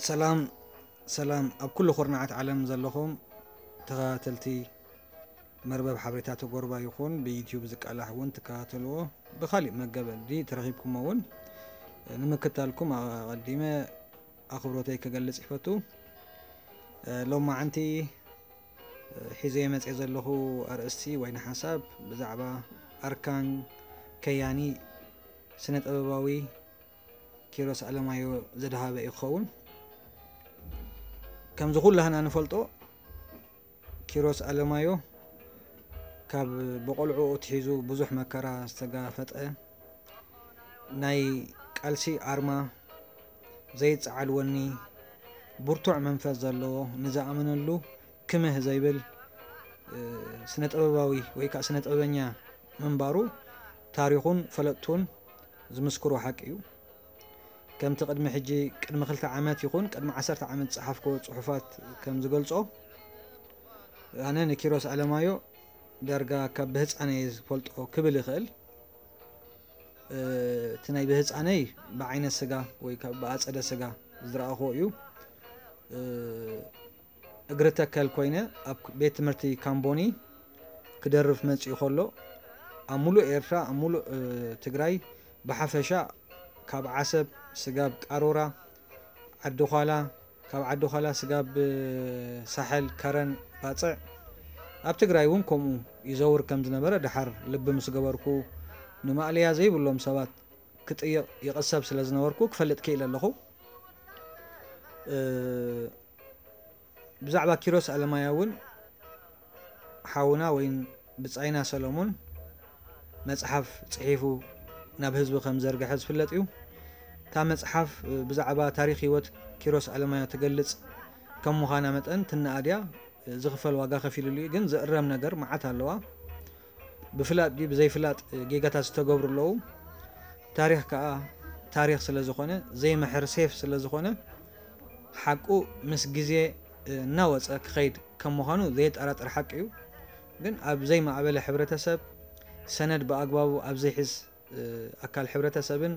ሰላም ሰላም፣ ኣብ ኩሉ ኩርናዓት ዓለም ዘለኹም ተኸታተልቲ መርበብ ሓበሬታ ተጎርባ ይኹን ብዩትዩብ ዝቃላሕ እውን ትከታተልዎ፣ ብኻሊእ መገዲ ተረኺብኩሞ እውን ንምክታልኩም ኣቐዲመ ኣኽብሮተይ ክገልጽ ይፈቱ። ሎማዓንቲ ሒዘ መጽየ ዘለኹ ኣርእስቲ ወይ ሓሳብ ብዛዕባ ኣርካን ከያኒ ስነ ጥበባዊ ኪሮስ ኣለማዮ ዘድሃበ እዩ ክኸውን። ከምዚ ኩላህና ንፈልጦ፣ ኪሮስ ኣለማዮ ካብ ብቆልዑ ኣትሒዙ ብዙሕ መከራ ዝተጋፈጠ፣ ናይ ቃልሲ ኣርማ፣ ዘይጸዓድ ወኒ፣ ብርቱዕ መንፈስ ዘለዎ፣ ንዝኣመነሉ ክምህ ዘይብል ስነ ጥበባዊ ወይ ከዓ ስነ ጥበበኛ ምንባሩ ታሪኹን ፈለጥቱን ዝምስክሮ ሓቂ እዩ። ከምቲ ቅድሚ ሕጂ፣ ቅድሚ ክልተ ዓመት ይኹን ቅድሚ ዓሰርተ ዓመት ዝጸሓፍኮ ጽሑፋት ከም ዝገልጾ፣ ኣነ ንኪሮስ ኣለማዮ ዳርጋ ካብ ብህፃነይ ዝፈልጦ ክብል ይኽእል። እቲ ናይ ብህፃነይ ብዓይነ ስጋ ወይ ከዓ ብኣፀደ ስጋ ዝረኣኹዎ እዩ። እግሪ ተከል ኮይነ ኣብ ቤት ትምህርቲ ካምቦኒ ክደርፍ መፂኡ ከሎ፣ ኣብ ሙሉእ ኤርትራ፣ ኣብ ሙሉእ ትግራይ ብሓፈሻ፣ ካብ ዓሰብ ስጋብ ቃሮራ፣ ዓዲ ዃላ፣ ካብ ዓዲ ዃላ ስጋብ ሳሕል፣ ከረን፣ ባፅዕ፣ ኣብ ትግራይ እውን ከምኡ ይዘውር ከም ዝነበረ ድሓር ልቢ ምስ ገበርኩ፣ ንማእለያ ዘይብሎም ሰባት ክጥይቕ ይቕሰብ ስለ ዝነበርኩ ክፈልጥ ክኢለ ኣለኹ። ብዛዕባ ኪሮስ ኣለማያ እውን ሓውና ወይን ብጻይና ሰሎሞን መጽሓፍ ጽሒፉ ናብ ህዝቢ ከም ዘርግሐ ዝፍለጥ እዩ። እታ መጽሓፍ ብዛዕባ ታሪኽ ህይወት ኪሮስ ኣለማያ ትገልጽ ከም ምዃና መጠን ትነኣድያ ዝኽፈል ዋጋ ከፊሉሉ እዩ። ግን ዝእረም ነገር መዓት ኣለዋ። ብፍላጥ ድዩ ብዘይፍላጥ ጌጋታት ዝተገብሩ ኣለዉ። ታሪኽ ከኣ ታሪኽ ስለ ዝኾነ፣ ዘይምሕር ሴፍ ስለ ዝኾነ፣ ሓቁ ምስ ግዜ እናወጸ ክኸይድ ከም ምዃኑ ዘየጠራጥር ሓቂ እዩ። ግን ኣብ ዘይማዕበለ ሕብረተሰብ፣ ሰነድ ብኣግባቡ ኣብ ዘይሕዝ ኣካል ሕብረተሰብን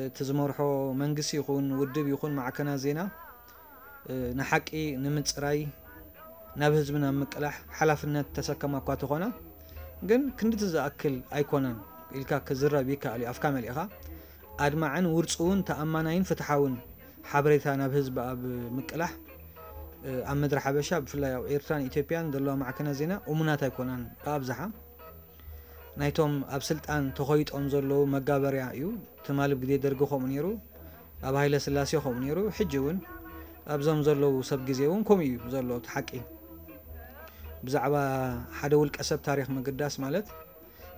እቲ ዝመርሖ መንግስቲ ይኹን ውድብ ይኹን ማዕከናት ዜና ንሓቂ ንምጽራይ ናብ ህዝቢ ናብ ምቅላሕ ሓላፍነት ተሰከማ እኳ ተኾና፣ ግን ክንድቲ ዝኣክል ኣይኮነን ኢልካ ክዝረብ ይከኣል እዩ። ኣፍካ መሊእኻ ኣድማዕን ውርጽውን ተኣማናይን ፍትሓውን ሓበሬታ ናብ ህዝቢ ኣብ ምቅላሕ ኣብ ምድሪ ሓበሻ ብፍላይ ኣብ ኤርትራን ኢትዮጵያን ዘለዋ ማዕከናት ዜና እሙናት ኣይኮናን ብኣብዝሓ። ናይቶም ኣብ ስልጣን ተኾይጦም ዘለዉ መጋበርያ እዩ። ትማሊ ኣብ ግዜ ደርጊ ከምኡ ነይሩ፣ ኣብ ሃይለ ስላሴ ከምኡ ነይሩ፣ ሕጂ እውን ኣብዞም ዘለዉ ሰብ ግዜ እውን ከምኡ እዩ ዘሎ እቲ ሓቂ። ብዛዕባ ሓደ ውልቀ ሰብ ታሪኽ ምግዳስ ማለት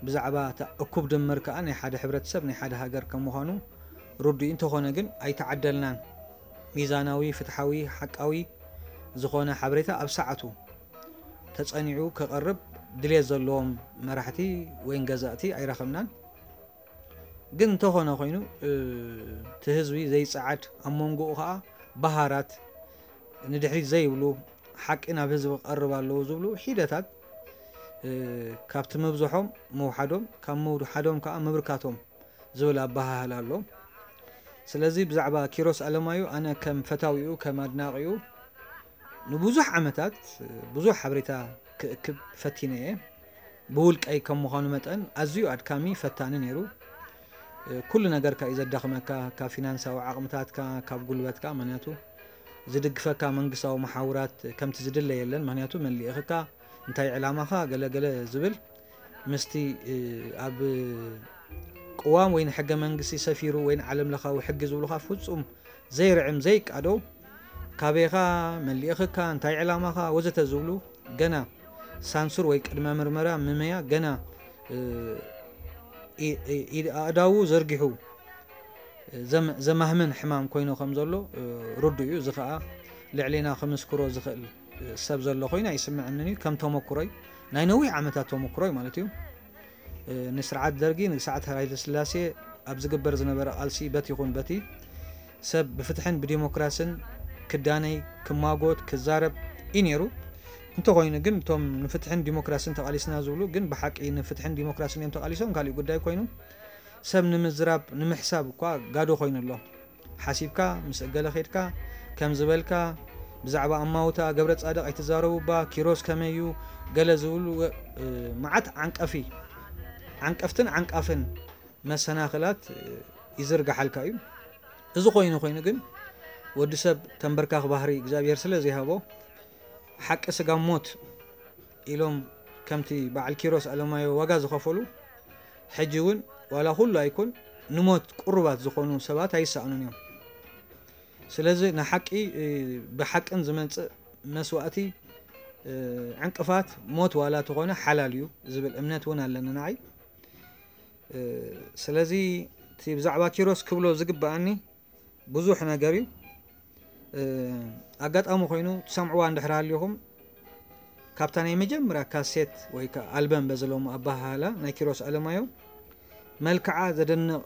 ብዛዕባ እታ እኩብ ድምር ከኣ ናይ ሓደ ሕብረተሰብ ናይ ሓደ ሃገር ከም ምዃኑ ርዱእ እንተኾነ ግን ኣይተዓደልናን። ሚዛናዊ፣ ፍትሓዊ፣ ሓቃዊ ዝኾነ ሓበሬታ ኣብ ሰዓቱ ተጸኒዑ ከቐርብ ድሌት ዘለዎም መራሕቲ ወይን ገዛእቲ ኣይረኸብናን። ግን እንተኾነ ኮይኑ እቲ ህዝቢ ዘይጸዓድ ኣብ መንጎኡ ከኣ በሃራት ንድሕሪት ዘይብሉ ሓቂ ናብ ህዝቢ ክቐርብ ኣለዎ ዝብሉ ሒደታት ካብቲ ምብዝሖም ምውሓዶም ካብ ምውሓዶም ከኣ ምብርካቶም ዝብል ኣበሃህላ ኣሎ። ስለዚ ብዛዕባ ኪሮስ ኣለማዩ ኣነ ከም ፈታዊኡ ከም ኣድናቒኡ ንብዙሕ ዓመታት ብዙሕ ሓበሬታ ክእክብ ፈቲነ እየ። ብውልቀይ ከም ምዃኑ መጠን ኣዝዩ ኣድካሚ ፈታኒ ነይሩ። ኩሉ ነገርካ እዩ ዘዳኽመካ፣ ካብ ፊናንሳዊ ዓቕምታትካ፣ ካብ ጉልበትካ። ምክንያቱ ዝድግፈካ መንግስታዊ መሓውራት ከምቲ ዝድለ የለን። ምክንያቱ መን ልኢኽካ፣ እንታይ ዕላማኻ፣ ገለ ገለ ዝብል ምስቲ ኣብ ቅዋም ወይ ንሕገ መንግስቲ ሰፊሩ ወይ ንዓለም ለኻዊ ሕጊ ዝብሉኻ ፍጹም ዘይርዕም ዘይቃዶ፣ ካበይኻ፣ መን ልኢኽካ፣ እንታይ ዕላማኻ ወዘተ ዝብሉ ገና ሳንሱር ወይ ቅድመ ምርመራ ምመያ ገና ኣእዳዉ ዘርጊሑ ዘማህምን ሕማም ኮይኑ ከም ዘሎ ርዱእ እዩ። እዚ ከኣ ልዕሌና ክምስክሮ ዝኽእል ሰብ ዘሎ ኮይኑ ኣይስምዐንን እዩ። ከም ተመኩሮይ፣ ናይ ነዊሕ ዓመታት ተመኩሮይ ማለት እዩ። ንስርዓት ደርጊ ንስርዓት ሃይለ ስላሴ ኣብ ዝግበር ዝነበረ ቃልሲ በቲ ይኹን በቲ ሰብ ብፍትሕን ብዲሞክራስን ክዳነይ ክማጎት ክዛረብ እዩ ነይሩ። እንተኾይኑ ግን እቶም ንፍትሕን ዲሞክራስን ተቓሊስና ዝብሉ ግን ብሓቂ ንፍትሕን ዲሞክራስን እዮም ተቓሊሶም ካልእ ጉዳይ ኮይኑ ሰብ ንምዝራብ ንምሕሳብ እኳ ጋዶ ኮይኑ ኣሎ። ሓሲብካ ምስ እገለ ኸድካ ከም ዝበልካ ብዛዕባ ኣማውታ ገብረ ጻድቕ ኣይትዛረቡ እባ፣ ኪሮስ ከመይ እዩ ገለ ዝብሉ፣ እ፣ መዓት ዓንቀፊ ዓንቀፍትን ዓንቃፍን መሰናኽላት፣ እ፣ ይዝርግሓልካ እዩ። እዚ ኮይኑ ኮይኑ ግን ወዲ ሰብ ተንበርካኽ ባህሪ እግዚኣብሔር ስለ ዘይሃቦ ሓቂ ስጋ ሞት ኢሎም ከምቲ በዓል ኪሮስ ኣለማዮ ዋጋ ዝኸፈሉ፣ ሕጂ እውን ዋላ ኩሉ ኣይኩን ንሞት ቅሩባት ዝኾኑ ሰባት ኣይሰኣኑን እዮም። ስለዚ ንሓቂ፣ እ፣ ብሓቅን ዝመጽእ መስዋእቲ፣ እ፣ ዕንቅፋት ሞት ዋላ ተኾነ ሓላል እዩ ዝብል እምነት እውን ኣለኒ ንዓይ። እ፣ ስለዚ እቲ ብዛዕባ ኪሮስ ክብሎ ዝግብኣኒ ብዙሕ ነገር እዩ። እ፣ ኣጋጣሚ ኮይኑ ትሰምዕዋ እንድሕር ሃሊኹም፣ ካብታ ናይ መጀመርያ ካሴት ወይ ከዓ ኣልበም በዝለዎም ኣበሃህላ ናይ ኪሮስ ኣለማዮ፣ መልክዓ ዘደንቕ፣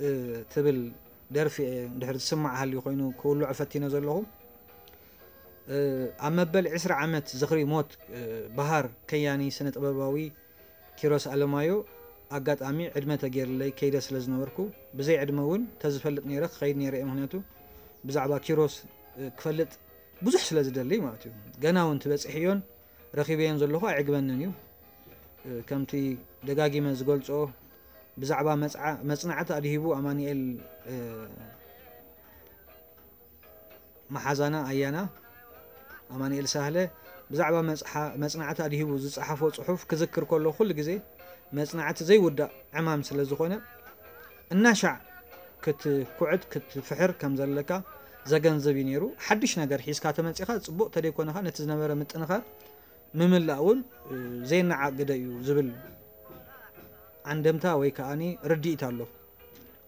እ፣ ትብል ደርፊ እየ እንድሕር ዝስማዕ ሃልዩ ኮይኑ ክውልዖ ፈቲነ ዘለኹ። እ፣ ኣብ መበል ዕስራ ዓመት ዝኽሪ ሞት፣ እ፣ በሃር ከያኒ ስነ ጥበባዊ ኪሮስ ኣለማዮ ኣጋጣሚ ዕድመ ተገይርለይ ከይደ ስለ ዝነበርኩ፣ ብዘይ ዕድመ እውን ተዝፈልጥ ነይረ ክኸይድ ነይረ እየ። ምኽንያቱ ብዛዕባ ኪሮስ፣ እ፣ ክፈልጥ ብዙሕ ስለ ዝደሊ ማለት እዩ። ገና እውን ትበጽሕዮን ረኺበዮን ዘለኹ ኣይዕግበንን እዩ። እ፣ ከምቲ ደጋጊመ ዝገልጾ ብዛዕባ መጽዓ-፣ መጽናዕቲ ኣድሂቡ ኣማኑኤል፣ እ፣ መሓዛና ኣያና ኣማኑኤል ሳህለ ብዛዕባ መጽሓ-፣ መጽናዕቲ ኣድሂቡ ዝጸሓፎ ጽሑፍ ክዝክር ከሎ ኩሉ ግዜ መጽናዕቲ ዘይውዳእ ዕማም ስለ ዝኾነ እናሻዕ ክትኩዕት ክትፍሕር ከም ዘለካ ዘገንዝብ እዩ ነይሩ። ሓድሽ ነገር ሒዝካ ተመጺኻ ጽቡቕ ተደይኮነኻ ነቲ ዝነበረ ምጥንኻር ምምላእ እውን፣ እ፣ ዘይነዓቕ ግደ እዩ ዝብል ዓንደምታ ወይ ከኣኒ ርድኢት ኣሎ።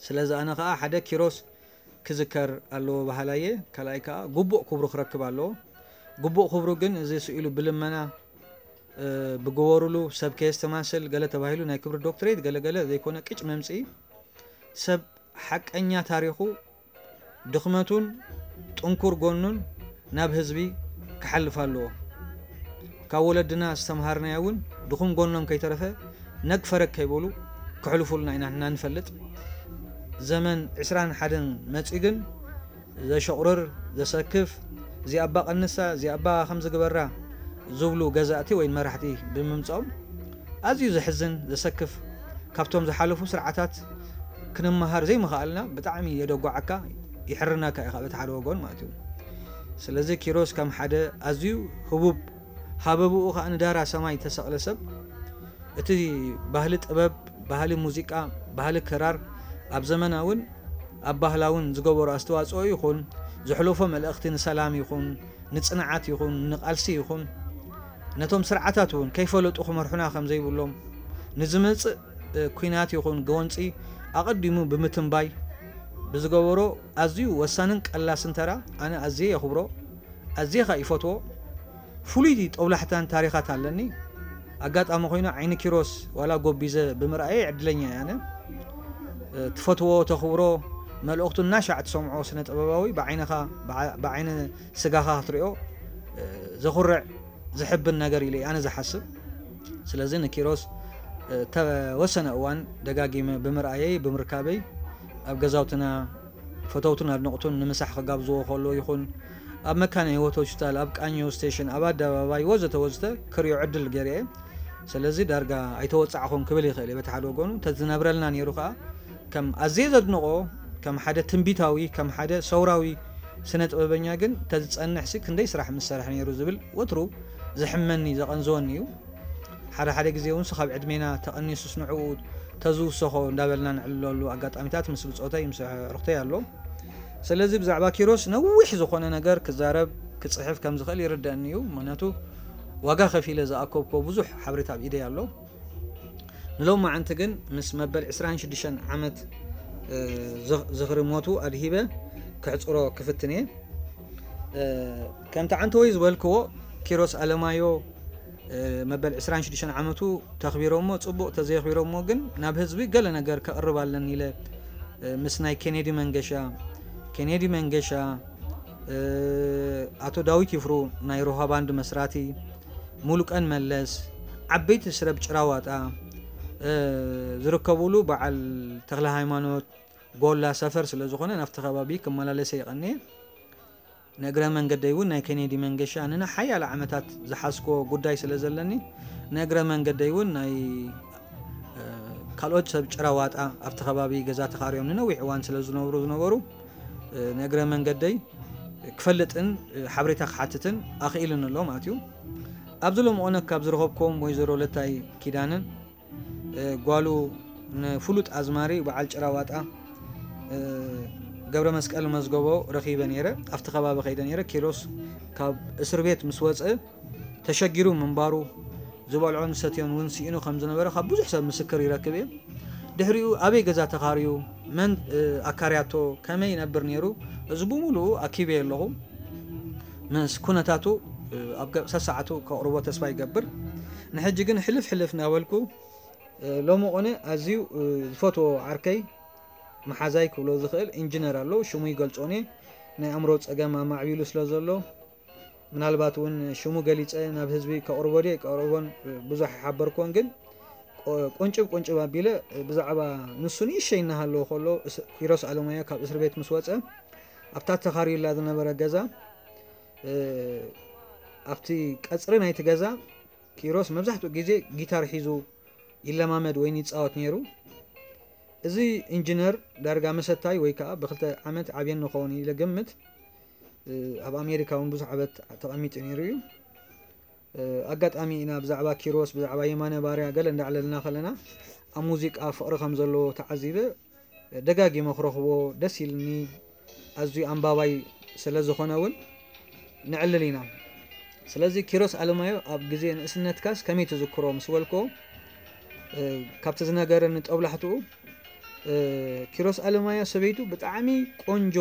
ስለዚ ኣነ ከኣ ሓደ ኪሮስ ክዝከር ኣለዎ በሃላይ እየ። ካልኣይ ከኣ ግቡእ ክብሩ ክረክብ ኣለዎ። ግቡእ ክብሩ ግን እዚ ስኢሉ ብልመና፣ እ፣ ብግበሩሉ ሰብ ከየስተማስል ገለ ተባሂሉ ናይ ክብሪ ዶክትሬት ገለ ገለ ዘይኮነ ቅጭ መምጽኢ ሰብ ሓቀኛ ታሪኹ ድኽመቱን ጥንኩር ጎኑን ናብ ህዝቢ ክሓልፍ ኣለዎ። ካብ ወለድና ዝተምሃርናዮ እውን ድኹም ጎኖም ከይተረፈ ነግ ፈረግ ከይበሉ ክሕልፉልና ኢና ንሕና ንፈልጥ። ዘመን ዕስራን ሓደን መጺኡ ግን ዘሸቑርር፣ ዘሰክፍ፣ እዚኣ ኣባ ቀንሳ፣ እዚኣ ኣባ ከምዚ ግበራ ዝብሉ ገዛእቲ ወይ መራሕቲ ብምምጻኦም ኣዝዩ ዘሕዝን፣ ዘሰክፍ፣ ካብቶም ዝሓለፉ ስርዓታት ክንመሃር ዘይምኽኣልና ብጣዕሚ የደጓዓካ፣ ይሕርነካ እዩ ካብ እቲ ሓደ ወገን ማለት እዩ። ስለዚ ኪሮስ ከም ሓደ ኣዝዩ ህቡብ፣ ሃበብኡ ከኣ ንዳራ ሰማይ ተሰቕለ ሰብ፣ እቲ ባህሊ ጥበብ፣ ባህሊ ሙዚቃ፣ ባህሊ ክራር ኣብ ዘመናውን ኣብ ባህላውን ዝገበሮ ኣስተዋጽኦ ይኹን፣ ዘሕለፎ መልእኽቲ ንሰላም ይኹን፣ ንጽንዓት ይኹን፣ ንቓልሲ ይኹን፣ ነቶም ስርዓታት እውን ከይፈለጡ ክመርሑና ከም ዘይብሎም፣ ንዝመጽእ፣ እ፣ ኲናት ይኹን ጎንጺ ኣቐዲሙ ብምትንባይ ብዝገበሮ ኣዝዩ ወሳንን ቀላስን ተራ ኣነ ኣዝየ የኽብሮ፣ ኣዝየ ኸኣ ይፈትዎ። ፍሉይ ጦብላሕታን ታሪኻት ኣለኒ። ኣጋጣሚ ኮይኑ ዓይኒ ኪሮስ ዋላ ጎቢዘ ብምርኣየ ዕድለኛ እየ ኣነ። እ፣ ትፈትዎ፣ ተኽብሮ፣ መልእኽቱ እናሻዕ ትሰምዖ ስነ ጥበባዊ ብዓይንኻ፣ ብዓ-፣ ብዓይኒ ስጋኻ ክትሪኦ፣ እ፣ ዘኹርዕ፣ ዘሕብን ነገር ኢለ እየ ኣነ ዝሓስብ። ስለዚ ንኪሮስ፣ እ፣ ተወሰነ እዋን ደጋጊመ ብምርኣየይ፣ ብምርካበይ፣ ኣብ ገዛውትና ፈተውቱን ኣድነቕቱን ንምሳሕ ክጋብዝዎ ከሎ ይኹን፣ ኣብ መካነ ህይወት ሆስፒታል፣ ኣብ ቃኘው ስቴሽን፣ ኣብ ኣደባባይ ወዘተ ወዘተ ክሪኦ ዕድል ገይረ እየ። ስለዚ ዳርጋ ኣይተወጻዕኹን ክብል ይኽእል እየ በቲ ሓደ ወገኑ። እንተዝነብረልና ነይሩ ከኣ ከም ኣዝየ ዘድንቖ፣ ከም ሓደ ትንቢታዊ፣ ከም ሓደ ሰውራዊ ስነ ጥበበኛ ግን እንተዝጸንሕሲ ክንደይ ስራሕ ምሰርሐ ነይሩ ዝብል ወትሩ ዘሕመኒ፣ ዘቐንዝወኒ እዩ። ሓደ ሓደ ግዜ እውን ካብ ዕድሜና ተቐኒሱስ ንዕኡ ተዝውሰኾ እንዳበልና ንዕልለሉ ኣጋጣሚታት ምስ ብጾተይ፣ ምስ ኣዕሩኽተይ ኣሎ። ስለዚ ብዛዕባ ኪሮስ ነዊሕ ዝኾነ ነገር ክዛረብ፣ ክጽሕፍ ከም ዝኽእል ይርደኣኒ እዩ። ምኽንያቱ ዋጋ ከፊለ ዝኣከብኮ ብዙሕ ሓበሬታ ኣብ ኢደይ ኣሎ። ንሎማዓንቲ ግን ምስ መበል ዕስራን ሽዱሽተን ዓመት፣ እ፣ ዝኽ-፣ ዝኽሪ ሞቱ ኣድሂበ ክሕጽሮ ክፍትን እየ። እ፣ ከምቲ ዓንተወይ ዝበልክዎ ኪሮስ ኣለማዮ፣ እ፣ መበል ዕስራን ሽዱሽተን ዓመቱ ተኽቢሮሞ፣ ጽቡቕ ተዘየኽቢሮሞ ግን ናብ ህዝቢ ገለ ነገር ከቕርብ ኣለኒ ኢለ፣ እ፣ ምስ ናይ ኬኔዲ መንገሻ፣ ኬኔዲ መንገሻ፣ እ፣ ኣቶ ዳዊት ይፍሩ ናይ ሮሃ ባንድ መስራቲ፣ ሙሉቀን መለስ፣ ዓበይቲ ስረብ ጭራዋጣ፣ እ፣ ዝርከብሉ በዓል ተኽለ ሃይማኖት፣ ጎላ ሰፈር ስለ ዝኾነ ናብቲ ከባቢ ክመላለሰ ይቐንየ። ንእግረ መንገደይ እውን ናይ ኬኔዲ መንገሻ ንንሓያለ ዓመታት ዝሓዝኮ ጉዳይ ስለ ዘለኒ፣ ንእግረ መንገደይ እውን ናይ ካልኦት ሰብ ጭራዋጣ ኣብቲ ከባቢ ገዛ ተኻርዮም ንነዊሕ እዋን ስለ ዝነብሩ ዝነበሩ ንእግረ መንገደይ ክፈልጥን ሓበሬታ ክሓትትን ኣኽኢልን ኣሎ ማለት እዩ። ኣብዚ ሎም ኦነግ ካብ ዝረኸብኮም ወይዘሮ ለታይ ኪዳንን ጓሉ ንፍሉጥ ኣዝማሪ በዓል ጭራዋጣ ገብረ መስቀል መዝገቦ ረኺበ ነይረ። ኣብቲ ከባቢ ከይደ ነይረ። ኪሮስ ካብ እስር ቤት ምስ ወፀ ተሸጊሩ ምንባሩ፣ ዝበልዖን ዝሰትዮን እውን ስኢኑ ከም ዝነበረ ካብ ብዙሕ ሰብ ምስክር ይረክብ እየ። ድሕሪኡ ኣበይ ገዛ ተኻርዩ፣ መን ኣካርያቶ፣ ከመይ ይነብር ነይሩ፣ እዚ ብምሉኡ ኣኪበ ኣለኹ። ምስ ኩነታቱ ኣብ ሰሰዓቱ ከቕርቦ ተስፋ ይገብር። ንሕጂ ግን ሕልፍ ሕልፍ እናበልኩ ሎሚ ቁነ ኣዝዩ ዝፈትዎ ዓርከይ መሓዛይ ክብሎ ዝኽእል ኢንጂነር ኣሎ። ሽሙ ይገልጾ እኔ ናይ ኣእምሮ ጸገም ኣማዕቢሉ ስለ ዘሎ ምናልባት እውን ሽሙ ገሊጸ ናብ ህዝቢ ከቕርቦ ድየ ቀርቦን ብዙሕ ኣይሓበርክዎን፣ ግን ቁንጭብ ቁንጭብ ኣቢለ ብዛዕባ ንሱ ንእሸይ እናሃለዎ ከሎ ኪሮስ ኣለማዮ ካብ እስር ቤት ምስ ወጸ ኣብታ ተኻርዩላ ዝነበረ ገዛ ኣብቲ ቀጽሪ ናይቲ ገዛ ኪሮስ መብዛሕትኡ ግዜ ጊታር ሒዙ ይለማመድ ወይን ይጻወት ነይሩ። እዚ ኢንጂነር ዳርጋ መሰታይ ወይ ከዓ ብክልተ ዓመት ዓብየኒ ኸውን ኢለ ገምት። ኣብ ኣሜሪካ እውን ብዙሕ ዓመት ተቐሚጡ ነይሩ እዩ። ኣጋጣሚ ኢና ብዛዕባ ኪሮስ፣ ብዛዕባ የማነ ባርያ ገለ እንዳዕለልና ከለና ኣብ ሙዚቃ ፍቕሪ ከም ዘለዎ ተዓዚበ ደጋጊመ ክረኽቦ ደስ ኢልኒ። ኣዝዩ ኣንባባይ ስለ ዝኾነ እውን ንዕልል ኢና። ስለዚ ኪሮስ ኣለማዮ ኣብ ግዜ ንእስነትካስ ከመይ ትዝክሮ ምስ በልክዎ፣ ካብቲ ዝነገረኒ ጦብላሕትኡ፣ ኪሮስ ኣለማዮ ሰበይቱ ብጣዕሚ ቆንጆ፣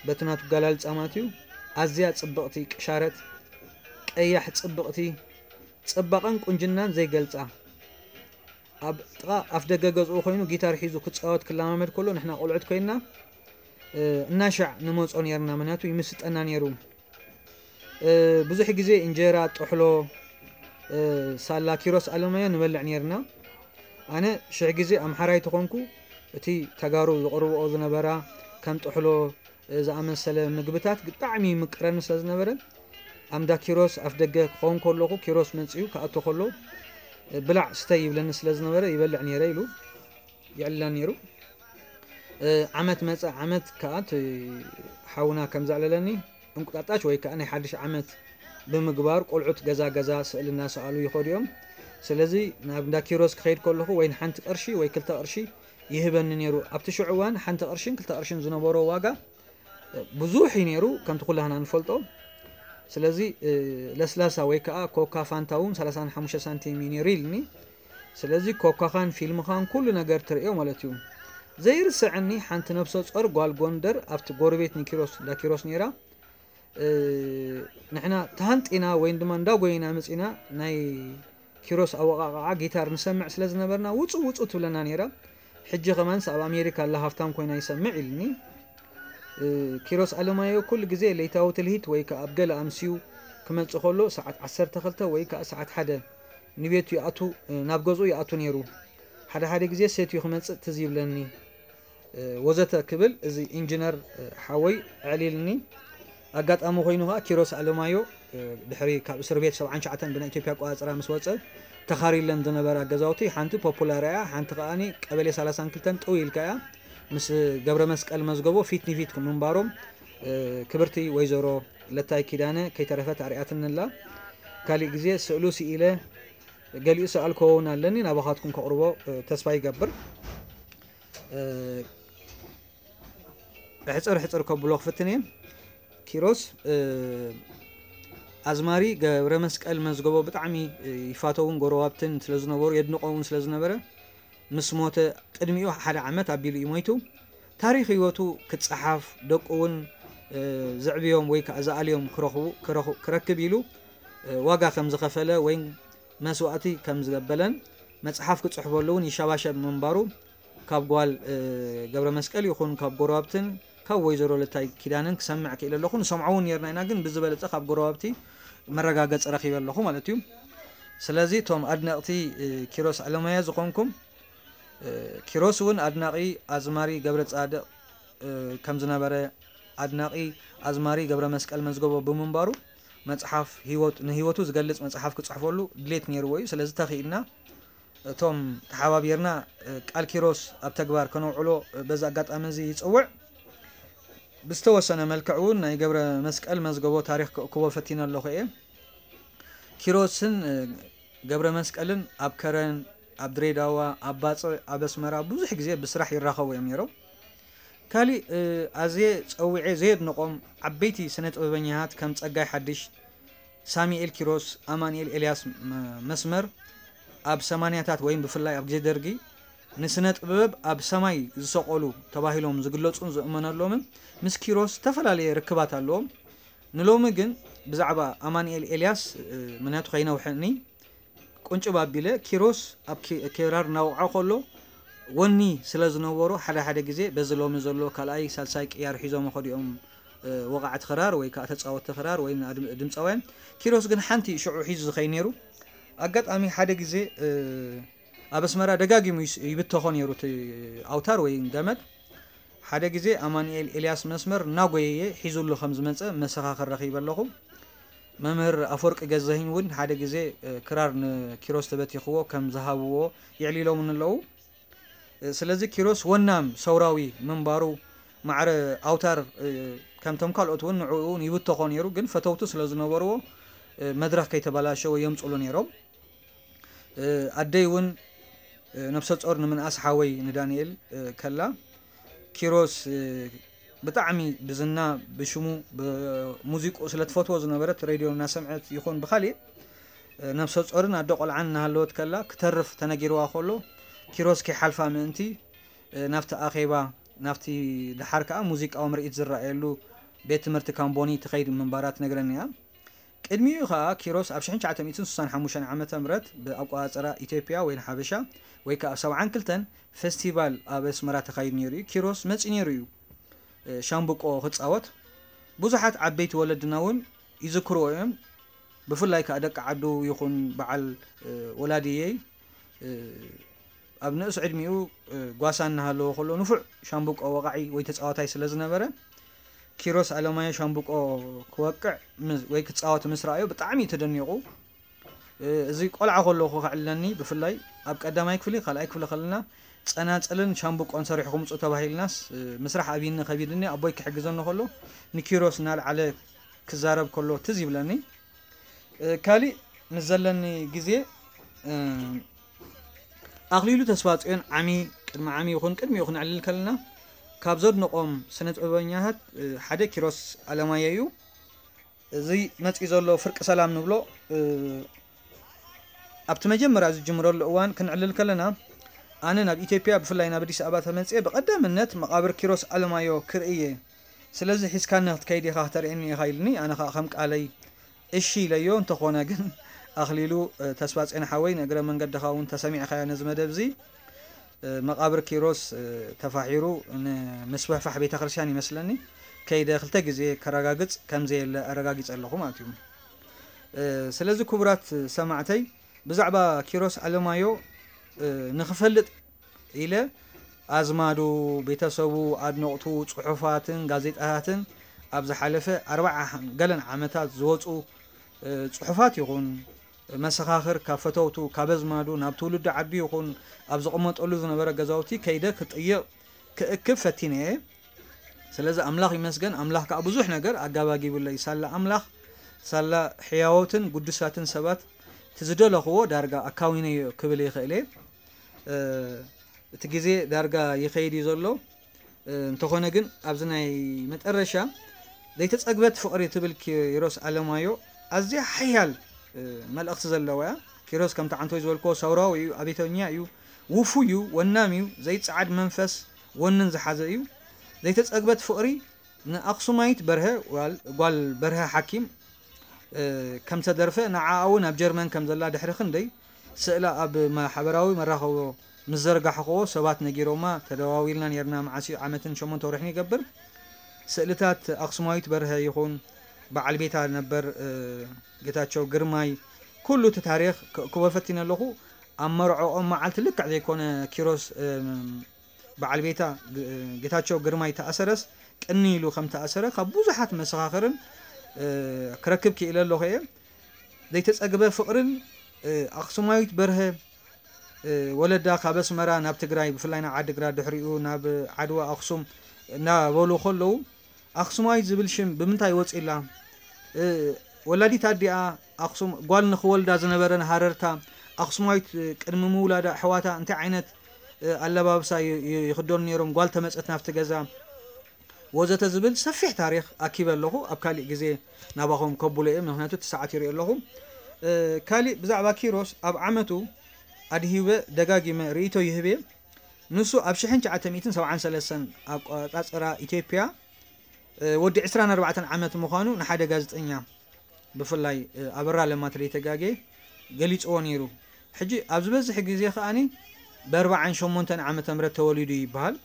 በቲ ናቱ ኣገላልጻ ማለት እዩ፣ ኣዝያ ጽብቕቲ፣ ቅሻረት፣ ቀያሕ፣ ጽብቕቲ፣ ጽባቐን ቁንጅናን ዘይገልጻ፣ ኣብ ጥቓ ኣፍ ደገ ገዝኡ ኮይኑ ጊታር ሒዙ ክጻወት ክለማመድ ከሎ ንሕና ቆልዑት ኮይንና እናሻዕ ንመጾ ነርና፣ ምክንያቱ ይምስጠና ነሩ። ብዙሕ ግዜ እንጀራ፣ ጥሕሎ፣ ሳላ ኪሮስ ኣለማዮ ንበልዕ ነርና። ኣነ ሽሕ ግዜ ኣምሓራይ ተኾንኩ እቲ ተጋሩ ዝቕርብኦ ዝነበራ ከም ጥሕሎ ዝኣመሰለ ምግብታት ብጣዕሚ ይምቅረኒ ስለ ዝነበረ ኣምዳ ኪሮስ ኣፍ ደገ ክኸውን ከለኹ ኪሮስ መጺኡ ክኣቱ ከሎ ብላዕ ስተይ ይብለኒ ስለ ዝነበረ ይበልዕ ነይረ ኢሉ ይዕልለን ነይሩ። ዓመት መጸ ዓመት ከኣ እቲ ሓውና ከም ዘዕለለኒ እንቁጣጣሽ ወይ ከኣ ናይ ሓድሽ ዓመት ብምግባር ቆልዑት ገዛ ገዛ ስእሊ እናሰኣሉ ይኸዱ እዮም። ስለዚ ናብ እንዳ ኪሮስ ክኸይድ ከለኹ ወይ ንሓንቲ ቅርሺ ወይ ክልተ ቅርሺ ይህበኒ ነይሩ። ኣብቲ ሽዑ እዋን ሓንቲ ቅርሽን ክልተ ቅርሽን ዝነበሮ ዋጋ ብዙሕ እዩ ነይሩ ከምቲ ኩላህና ንፈልጦ። ስለዚ ለስላሳ ወይ ከዓ ኮካ ፋንታ እውን ሰላሳን ሓሙሽተ ሳንቲም እዩ ነይሩ ኢልኒ። ስለዚ ኮካኻን ፊልምኻን ኩሉ ነገር ትርእዮ ማለት እዩ። ዘይርስዐኒ ሓንቲ ነብሰ ጾር ጓል ጎንደር ኣብቲ ጎረቤት ንኪሮስ እንዳ ኪሮስ ነይራ። ንሕና ተሃንጢና ወይን ድማ እንዳጎይና መፂና ናይ ኪሮስ ኣወቃቃዓ ጊታር ንሰምዕ ስለ ዝነበርና ውፁ ውፁ ትብለና ነይራ። ሕጂ ከማንስ ኣብ ኣሜሪካ ኣላ ሃፍታም ኮይና ይሰምዕ ኢልኒ። ኪሮስ ኣለማዮ ኩሉ ግዜ ለይታዊ ትልሂት ወይ ከዓ ኣብ ገለ ኣምስዩ ክመፅእ ከሎ ሰዓት ዓሰርተ ክልተ ወይ ከዓ ሰዓት ሓደ ንቤቱ ይኣቱ፣ ናብ ገዝኡ ይኣቱ ነይሩ። ሓደ ሓደ ግዜ ሰትዩ ክመፅእ ትዝ ይብለኒ። ወዘተ ክብል እዚ ኢንጂነር ሓወይ ኣዕሊልኒ። ኣጋጣሚ ኮይኑ ከዓ ኪሮስ ኣለማዮ ድሕሪ ካብ እስር ቤት ሰብዓን ትሽዓተን ብናይ ኢትዮጵያ ኣቆፃፅራ ምስ ወፀ ተኻሪለን ዝነበራ ገዛውቲ ሓንቲ ፖፑላር እያ፣ ሓንቲ ከዓኒ ቀበሌ ሰላሳን ክልተን ጥው ኢልካ እያ። ምስ ገብረ መስቀል መዝገቦ ፊት ንፊት ምንባሮም ክብርቲ ወይዘሮ ለታይ ኪዳነ ከይተረፈት ኣርያትንላ። ካሊእ ግዜ ስእሉ ስኢለ ገሊኡ ሰኣልኮ እውን ኣለኒ ናባኻትኩም ከቕርቦ ተስፋ ይገብር። ሕፅር ሕፅር ከብሎ ክፍትን እየ። ኪሮስ ኣዝማሪ ገብረ መስቀል መዝገቦ ብጣዕሚ ይፋተውን ጎረባብትን ስለ ዝነበሩ የድንቆ እውን ስለ ዝነበረ ምስ ሞተ ቅድሚኡ ሓደ ዓመት ኣቢሉ እዩ ሞይቱ። ታሪኽ ህይወቱ ክፀሓፍ ደቁ እውን ዘዕብዮም ወይ ከዓ ዝኣልዮም ክረኽቡ ክረኽቡ- ክረክብ ኢሉ ዋጋ ከም ዝኸፈለ ወይ መስዋእቲ ከም ዝገበለን መፅሓፍ ክፅሕፈሉ እውን ይሸባሸብ ምንባሩ ካብ ጓል ገብረ መስቀል ይኹን ካብ ጎረባብትን ካብ ወይዘሮ ለታይ ኪዳንን ክሰምዕ ክኢለ ኣለኹ። ንሰምዖ እውን ነርና ኢና፣ ግን ብዝበለፀ ካብ ጎረባብቲ መረጋገፂ ረኪበ ኣለኹ ማለት እዩ። ስለዚ እቶም ኣድነቕቲ ኪሮስ ኣለማያ ዝኾንኩም ኪሮስ እውን ኣድናቒ ኣዝማሪ ገብረ ጻድቕ ከም ዝነበረ፣ ኣድናቒ ኣዝማሪ ገብረ መስቀል መዝገቦ ብምንባሩ፣ መጽሓፍ ህይወት ንህይወቱ ዝገልጽ መጽሓፍ ክጽሕፈሉ ድሌት ነይርዎ እዩ። ስለዚ ተኽኢልና እቶም ተሓባቢርና ቃል ኪሮስ ኣብ ተግባር ከነውዕሎ በዚ ኣጋጣሚ እዚ ይጽውዕ። ብዝተወሰነ መልክዕ እውን ናይ ገብረ መስቀል መዝገቦ ታሪኽ ክእክቦ ፈቲነ ኣለኹ እየ። ኪሮስን ገብረ መስቀልን ኣብ ከረን፣ ኣብ ድሬዳዋ፣ ኣብ ባጽዕ፣ ኣብ ኣስመራ ብዙሕ ግዜ ብስራሕ ይራኸቡ እዮም ነይሮም። ካሊእ ኣዝየ ጸዊዐ ዘየድንቖም ዓበይቲ ስነ ጥበበኛታት ከም ጸጋይ ሓድሽ፣ ሳሚኤል ኪሮስ፣ ኣማንኤል ኤልያስ መስመር ኣብ ሰማንያታት ወይም ብፍላይ ኣብ ግዜ ደርጊ ንስነ ጥበብ ኣብ ሰማይ ዝሰቐሉ ተባሂሎም ዝግለጹን ዝእመነሎምን ምስ ኪሮስ ዝተፈላለየ ርክባት ኣለዎም። ንሎሚ ግን ብዛዕባ ኣማንኤል ኤልያስ ምክንያቱ ከይነውሐኒ ቁንጭብ ኣቢለ ኪሮስ ኣብ ክራር እናወቕዐ ከሎ ወኒ ስለ ዝነበሮ ሓደ ሓደ ግዜ በዚ ሎሚ ዘሎ ካልኣይ ሳልሳይ ቅያር ሒዞም ከዲኦም ወቓዕቲ ክራር ወይ ከዓ ተፃወትቲ ክራር ወይ ድምፃውያን። ኪሮስ ግን ሓንቲ ሽዑ ሒዙ ዝኸይ ነይሩ። ኣጋጣሚ ሓደ ግዜ ኣብ ኣስመራ ደጋጊሙ ይብተኾ ነይሩ እቲ ኣውታር ወይ ገመድ። ሓደ ግዜ ኣማንኤል ኤልያስ መስመር እናጎየየ ሒዙሉ ከም ዝመፀ መሰኻኽር ረኺበ ኣለኹ። መምህር ኣፈወርቂ ገዛሂኝ እውን ሓደ ግዜ ክራር ንኪሮስ ተበቲኽዎ ከም ዝሃብዎ የዕሊሎምኒ ኣለዉ። ስለዚ ኪሮስ ወናም ሰውራዊ ምንባሩ ማዕረ ኣውታር ከምቶም ካልኦት እውን ንዕኡ እውን ይብተኾ ነይሩ፣ ግን ፈተውቱ ስለ ዝነበርዎ መድረኽ ከይተበላሸወ የምፅሉ ነይሮም። ኣደይ እውን ነብሰ ጾር ንምንኣስ ሓወይ ንዳንኤል ከላ ኪሮስ ብጣዕሚ ብዝና ብሽሙ ብሙዚቁ ስለ ትፈትዎ ዝነበረት ሬድዮ እናሰምዐት ይኹን ብኻሊእ ነብሰ ጾርን ኣደ ቆልዓን እናሃለወት ከላ ክተርፍ ተነጊርዋ ከሎ ኪሮስ ከይሓልፋ ምእንቲ ናብቲ ኣኼባ ናብቲ ደሓር ከዓ ሙዚቃዊ ምርኢት ዝረኣየሉ ቤት ትምህርቲ ካምቦኒ ትኸይድ ምንባራ ትነግረኒ እያ። ቅድሚኡ ኸኣ ኪሮስ ኣብ ሽሕን ትሽዓተ ሚእትን ስሳን ሓሙሽተን ዓመተ ምህረት ብኣቆጻጽራ ኢትዮጵያ ወይ ንሓበሻ ወይ ከኣ ኣብ ሰብዓን ክልተን ፈስቲቫል ኣብ ኣስመራ ተኻይዱ ነይሩ እዩ። ኪሮስ መጺኡ ነይሩ እዩ ሻምብቆ ክጻወት። ብዙሓት ዓበይቲ ወለድና እውን ይዝክርዎ እዮም። ብፍላይ ከኣ ደቂ ዓዱ ይኹን በዓል ወላዲየይ ኣብ ንእስ ዕድሚኡ ጓሳ እናሃለወ ከሎ ንፉዕ ሻምብቆ ወቓዒ ወይ ተጻዋታይ ስለ ዝነበረ ኪሮስ ኣለማዮ ሻምብቆ ክወቅዕ ወይ ክጻወት ምስ ረኣዮ ብጣዕሚ እዩ ተደኒቑ። እዚ ቆልዓ ከለኹ ከዕልለኒ ብፍላይ ኣብ ቀዳማይ ክፍሊ ካልኣይ ክፍሊ ከለና ጸናጽልን ሻምብቆን ሰሪሕኩም ምጹ ተባሂልናስ ምስራሕ ኣብይኒ ከቢድኒ ኣቦይ ክሕግዘኒ ከሎ ንኪሮስ እናልዓለ ክዛረብ ከሎ ትዝ ይብለኒ። ካሊእ ምስ ዘለኒ ግዜ ኣኽሊሉ ተስፋጽዮን ዓሚ ቅድሚ ዓሚ ይኹን ቅድሚኡ ክነዕልል ከለና ካብ ዘድንቖም ስነ ጥበበኛታት ሓደ ኪሮስ ኣለማዮ እዩ። እዚ መጺኡ ዘሎ ፍርቂ ሰላም ንብሎ ኣብቲ መጀመርያ ዝጅምረሉ እዋን ክንዕልል ከለና ኣነ ናብ ኢትዮጵያ ብፍላይ ናብ ኣዲስ ኣበባ ተመጽየ ብቐዳምነት መቓብር ኪሮስ ኣለማዮ ክርኢ እየ። ስለዚ ሒዝካኒ ክትከይድ ኢኻ ክተርእየኒ ኢኻ ኢልኒ። ኣነ ከዓ ከም ቃለይ እሺ ኢለዮ። እንተኾነ ግን ኣኽሊሉ ተስፋጽዮን ሓወይ ንእግረ መንገድኻ እውን ተሰሚዕኻዮ ነዚ መደብ እዚ መቓብር ኪሮስ ተፋሒሩ ንምስፍሕፋሕ ቤተ ክርስቲያን ይመስለኒ ከይደ ክልተ ግዜ ከረጋግጽ ከም ዘየለ ኣረጋጊጸ ኣለኹ ማለት እዩ። ስለዚ ክቡራት ሰማዕተይ ብዛዕባ ኪሮስ ኣለማዮ ንክፈልጥ ኢለ ኣዝማዱ፣ ቤተሰቡ፣ ኣድነቕቱ፣ ጽሑፋትን ጋዜጣታትን ኣብ ዝሓለፈ ኣርብዓ ገለን ዓመታት ዝወጹ ጽሑፋት ይኹን መሰኻኽር ካብ ፈተውቱ ካብ ኣዝማዱ ናብ ትውልዲ ዓዱ ይኹን ኣብ ዝቕመጠሉ ዝነበረ ገዛውቲ ከይደ ክጥይቕ ክእክብ ፈቲነ እየ። ስለዚ ኣምላኽ ይመስገን፣ ኣምላኽ ከዓ ብዙሕ ነገር ኣጋባጊቡለይ። ሳላ ኣምላኽ ሳላ ሕያዎትን ግዱሳትን ሰባት እቲ ዝደለኽዎ ዳርጋ ኣካዊነዮ ክብል ይኽእል እየ። እቲ ግዜ ዳርጋ ይኸይድ እዩ ዘሎ። እንተኾነ ግን ኣብዚ ናይ መጠረሻ ዘይተጸግበት ፍቕሪ ትብል ኪሮስ ኣለማዮ ኣዝያ ሓያል መልእኽቲ ዘለዋ እያ። ኪሮስ ከምቲ ዓንቶይ ዝበልክዎ ሰውራዊ እዩ፣ ኣቤተኛ እዩ፣ ውፉይ እዩ፣ ወናም እዩ፣ ዘይጸዓድ መንፈስ ወንን ዝሓዘ እዩ። ዘይተጸግበት ፍቕሪ ንኣኽሱማይት በርሀ ጓል በርሀ ሓኪም ከም ተደርፈ ንዓኣ እውን ኣብ ጀርመን ከም ዘላ ድሕሪ ክንደይ ስእላ ኣብ ማሕበራዊ መራኸቦ ምስ ዘርጋሕኽዎ ሰባት ነጊሮማ ተደዋዊልና ነርና። መዓስ እዩ ዓመትን ሸሞንተ ወርሕን ይገብር። ስእልታት ኣኽሱማዊት በርሀ ይኹን በዓል ቤታ ነበር ጌታቸው ግርማይ ኩሉ እቲ ታሪኽ ክእክቦ ፈቲነ ኣለኹ። ኣብ መርዖኦም መዓልቲ ልክዕ ዘይኮነ ኪሮስ በዓል ቤታ ጌታቸው ግርማይ ተኣሰረስ ቅኒ ኢሉ ከም ተኣሰረ ካብ ብዙሓት መሰኻኽርን ክረክብ ክኢለ ኣለኹ እየ። ዘይተጸግበ ፍቕርን ኣኽሱማዊት በርሀ ወለዳ ካብ ኣስመራ ናብ ትግራይ ብፍላይ ናብ ዓድግራት ድሕሪኡ ናብ ዓድዋ ኣኽሱም እናበሉ ከለዉ ኣኽሱማዊት ዝብል ሽም ብምንታይ ወፂላ? ወላዲት ኣዲኣ ኣኽሱም ጓል ንኽወልዳ ዝነበረን ሃረርታ ኣኽሱማዊት ቅድሚ ምውላዳ ኣሕዋታ እንታይ ዓይነት ኣለባብሳ ይኽደኑ ነይሮም? ጓል ተመፀት ናብቲ ገዛ ወዘተ ዝብል ሰፊሕ ታሪኽ ኣኪበ ኣለኹ። ኣብ ካሊእ ግዜ ናባኹም ከብሎ እየ፣ ምክንያቱ እቲ ሰዓት ይሪኦ ኣለኹ። ካሊእ ብዛዕባ ኪሮስ ኣብ ዓመቱ ኣድሂበ ደጋጊመ ርእይቶ ይህብ እየ። ንሱ ኣብ ሽሕን ትሽዓተ ሚእትን ሰብዓን ሰለስተን ኣቆጻጽራ ኢትዮጵያ ወዲ ዕስራን ኣርባዕተን ዓመት ምዃኑ ንሓደ ጋዜጠኛ ብፍላይ ኣበራ ለማ ተደይተጋጌ ገሊጽዎ ነይሩ። ሕጂ ኣብ ዝበዝሕ ግዜ ከኣኒ ብኣርባዓን ሸሞንተን ዓመተ ምህረት ተወሊዱ ይበሃል።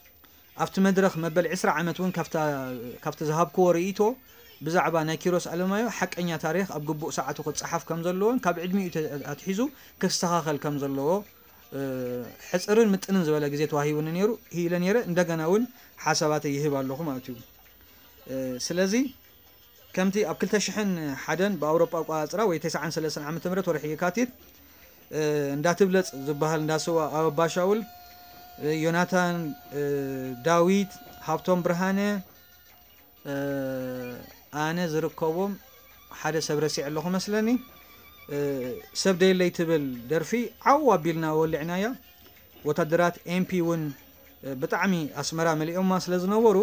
ኣብቲ መድረኽ መበል ዕስራ ዓመት እውን ካብቲ ዝሃብክዎ ርእይቶ ብዛዕባ ናይ ኪሮስ ኣለማዮ ሓቀኛ ታሪኽ ኣብ ግቡእ ሰዓቱ ክጸሓፍ ከም ዘለዎን ካብ ዕድሚኡ ኣትሒዙ ክስተኻኸል ከም ዘለዎ ሕጽርን ምጥንን ዝበለ ግዜ ተዋሂቡኒ ነይሩ ኢለ ነይረ። እንደገና እውን ሓሳባተይ ይህብ ኣለኹ ማለት እዩ። ስለዚ ከምቲ ኣብ ክልተ ሽሕን ሓደን ብኣውሮጳ ኣቆጻጽራ ወይ ተስዓን ሰለስተን ዓመተ ምህረት ወርሒ የካቲት እንዳትብለጽ ዝበሃል እንዳስዋ ኣበባ ሻውል፣ ዮናታን፣ ዳዊት፣ ሃብቶም ብርሃነ፣ ኣነ ዝርከቦም ሓደ ሰብ ረሲዐ ኣለኹ መስለኒ። ሰብ ደየለይ ትብል ደርፊ ዓው ኣቢልና ወሊዕናያ። ወታደራት ኤምፒ እውን ብጣዕሚ ኣስመራ መሊኦማ ስለ ዝነበሩ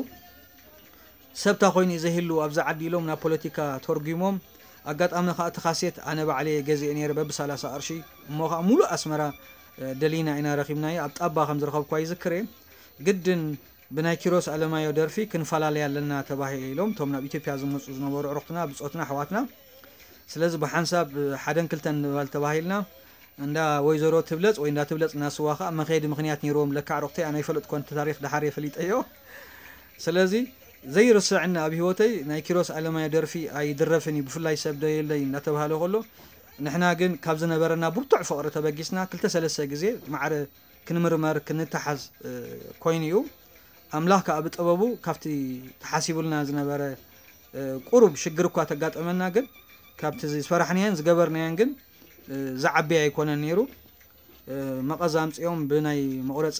ሰብታ ኮይኑ እዩ ዘይህሉ ኣብዚ ዓዲ ኢሎም ናብ ፖለቲካ ተርጒሞም። ኣጋጣሚ ከዓ እቲ ካሴት ኣነ ባዕለ ገዚኤ ነይረ በቢ ሰላሳ ቅርሺ። እሞ ከዓ ሙሉእ ኣስመራ ደሊና ኢና ረኺብናዮ። ኣብ ጣባ ከም ዝረኸብኳ ይዝክር እየ። ግድን ብናይ ኪሮስ ኣለማዮ ደርፊ ክንፈላለይ ኣለና ተባሂሎም እቶም ናብ ኢትዮጵያ ዝመፁ ዝነበሩ ኣዕሩኽትና ብፆትና ኣሕዋትና። ስለዚ ብሓንሳብ ሓደን ክልተን ንበል ተባሂልና እንዳ ወይዘሮ ትብለፅ ወይ እንዳ ትብለፅ እናስዋ ከዓ መኸየዲ ምኽንያት ነይርዎም። ለካ ኣዕሩኽተይ ኣነ ኣይፈለጥኮን እቲ ታሪኽ ደሓር የፈሊጠዮ። ስለዚ ዘይርስዕኒ ኣብ ህይወተይ ናይ ኪሮስ ኣለማዮ ደርፊ ኣይድረፍን እዩ፣ ብፍላይ ሰብ ደየለይ እናተባህለ ከሎ ንሕና ግን ካብ ዝነበረና ብርቱዕ ፍቕሪ ተበጊስና ክልተ ሰለስተ ግዜ ማዕረ ክንምርመር ክንተሓዝ ኮይኑ እዩ። ኣምላኽ ከዓ ብጥበቡ ካብቲ ተሓሲቡልና ዝነበረ ቁሩብ ሽግር እኳ ተጋጠመና ግን ካብቲ ዝፈራሕናዮን ዝገበርናዮን ግን ዝዓቢ ኣይኮነን ነይሩ። መቐዝ ኣምፂኦም ብናይ መቑረፂ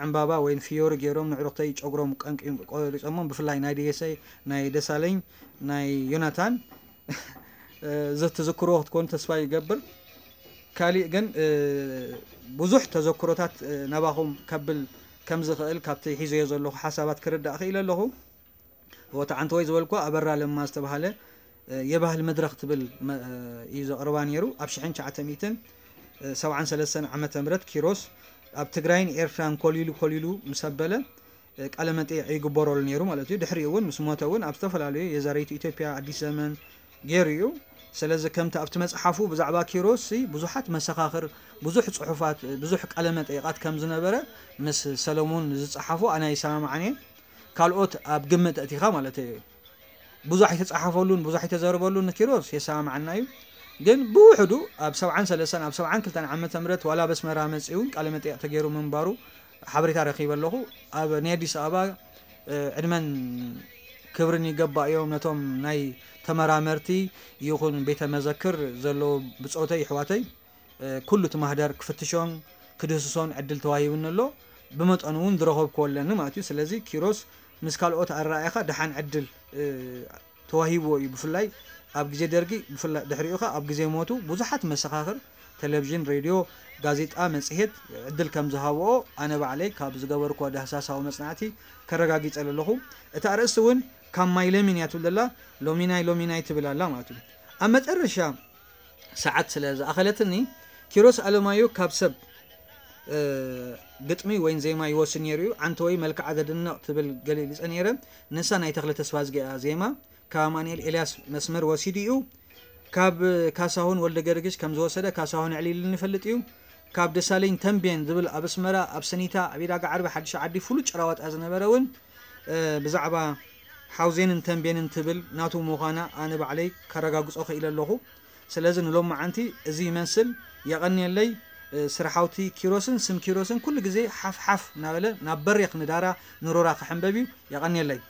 ዕምባባ ወይ ፍዮሪ ገይሮም ንዕሩኽተይ ጨጉሮም ቀንቂም ቆሪፆሞም። ብፍላይ ናይ ደየሰይ ናይ ደሳለኝ ናይ ዮናታን ዘትዝክርዎ ክትኮኑ ተስፋ ይገብር። ካሊእ ግን ብዙሕ ተዘክሮታት ናባኹም ከብል ከም ዝኽእል ካብቲ ሒዘዮ ዘለኹ ሓሳባት ክርዳእ ክኢለ ኣለኹ። ወታ ዓንተወይ ዝበልኳ ኣበራ ለማ ዝተባሃለ የባህል መድረኽ ትብል እዩ ዘቕርባ ነይሩ። ኣብ ሽሕን ትሽዓተ ሚእትን ሰብዓን ሰለስተን ዓመተ ምህረት ኪሮስ ኣብ ትግራይን ኤርትራን ኮሊሉ ኮሊሉ ምስ ኣበለ ቃለ መጠይቕ ይግበረሉ ነይሩ ማለት እዩ። ድሕሪኡ እውን ምስ ሞተ እውን ኣብ ዝተፈላለዩ የዛሪቱ ኢትዮጵያ፣ ኣዲስ ዘመን ገይሩ እዩ። ስለዚ ከምቲ ኣብቲ መጽሓፉ ብዛዕባ ኪሮስ ብዙሓት መሰኻኽር፣ ብዙሕ ጽሑፋት፣ ብዙሕ ቃለ መጠይቓት ከም ዝነበረ ምስ ሰለሙን ዝጸሓፎ ኣነ ይሰማማዕን እየ። ካልኦት ኣብ ግምት ኣእቲኻ ማለት እዩ። ብዙሕ ኣይተጻሓፈሉን ብዙሕ ኣይተዘረበሉን ንኪሮስ የሰማማዓና እዩ። ግን ብውሕዱ ኣብ ሰብዓን ሰለስተን ኣብ ሰብዓን ክልተን ዓመተ ምህረት ዋላ በስመራ መጺኡ እውን ቃለ መጠይቕ ተገይሩ ምንባሩ ሓበሬታ ረኺበ ኣለኹ። ኣብ ናይ ኣዲስ ኣበባ ዕድመን ክብርን ይገባእዮም ነቶም ናይ ተመራመርቲ ይኹን ቤተ መዘክር ዘለዉ ብጾተይ ይሕዋተይ። ኩሉ እቲ ማህደር ክፍትሾን ክድህስሶን ዕድል ተዋሂቡኒ ኣሎ። ብመጠኑ እውን ዝረኸብኩዎ ኣለኒ ማለት እዩ። ስለዚ ኪሮስ ምስ ካልኦት ኣረኣእያኻ ደሓን ዕድል ተዋሂብዎ እዩ። ብፍላይ ኣብ ግዜ ደርጊ፣ ብፍላይ ድሕሪኡ ኸኣ ኣብ ግዜ ሞቱ ብዙሓት መሰኻኽር፣ ቴሌቪዥን፣ ሬድዮ፣ ጋዜጣ፣ መጽሔት ዕድል ከም ዝሃብኦ ኣነ ባዕለይ ካብ ዝገበርኩዎ ዳህሳሳዊ መጽናዕቲ ከረጋጊጸ ኣለኹ። እታ ኣርእስቲ እውን ካብ ማይ ለሚን እያ ትብል ዘላ፣ ሎሚናይ ሎሚናይ ትብል ኣላ ማለት እዩ። ኣብ መጨረሻ ሰዓት ስለ ዝኣኸለትኒ ኪሮስ ኣለማዮ ካብ ሰብ ግጥሚ ወይን ዜማ ይወስድ ነይሩ እዩ። ዓንተወይ መልክዓ ዘድንቕ ትብል ገሊጸ ነይረ። ንሳ ናይ ተኽለ ተስፋዝጊ እያ ዜማ። ካብ ኣማኑኤል ኤልያስ መስመር ወሲዱ እዩ። ካብ ካሳሁን ወልደ ገርግሽ ከም ዝወሰደ ካሳሁን ኣዕሊሉኒ ይፈልጥ እዩ። ካብ ደሳለኝ ተምቤን ዝብል ኣብ ኣስመራ ኣብ ሰኒታ ኣብ ኢዳጋ ዓርቢ ሓድሽ ዓዲ ፍሉጥ ጭራዋጣ ዝነበረ እውን ብዛዕባ ሓውዜንን ተምቤንን ትብል ናቱ ምዃና ኣነ ባዕለይ ከረጋግጾ ክኢለ ኣለኹ። ስለዚ ንሎማዓንቲ እዚ ይመስል። የቐንየለይ። ስርሓውቲ ኪሮስን ስም ኪሮስን ኩሉ ግዜ ሓፍ ሓፍ እናበለ ናብ በሬኽ ንዳራ ንሮራ ክሕንበብ እዩ። የቐንየለይ።